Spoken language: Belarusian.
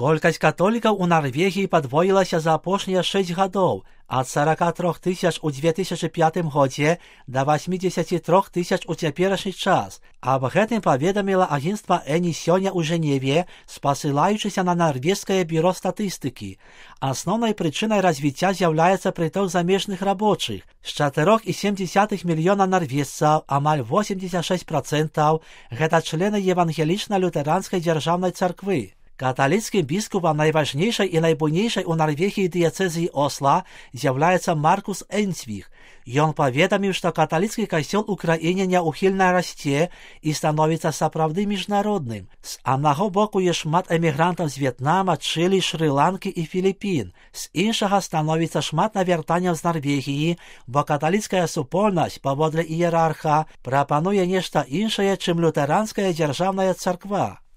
Колькасць католікаў у Нарвегіі падвоілася за апошнія 6 гадоў, ад 43 тысяч у 2005 годзе да 83 тысяч у цяперашні час. Аб гэтым паведаміла агенцтва Эні сёння ў Жэневе, спасылаючыся на нарвежскае бюро статыстыкі. Асноўнай прычынай развіцця з'яўляецца прыток замежных рабочых. З 4,7 мільёна нарвежцаў амаль 86% гэта члены евангелічна-лютэранскай дзяржаўнай царквы. Каталіцкім біскупам найважнейшай і найбуйнейшай у Нарвегіі дыяцэзіі Осла з'яўляецца Маркус Энцвіх. Ён паведаміў, што каталіцкі касцёл у краіне няўхільна расце і становіцца сапраўды міжнародным. З аднаго боку ёсць шмат эмігрантаў з В'етнама, Чылі, Шры-Ланкі і Філіпін. З іншага становіцца шмат навяртанняў з Нарвегіі, бо каталіцкая супольнасць, паводле іерарха, прапануе нешта іншае, чым лютэранская дзяржаўная царква.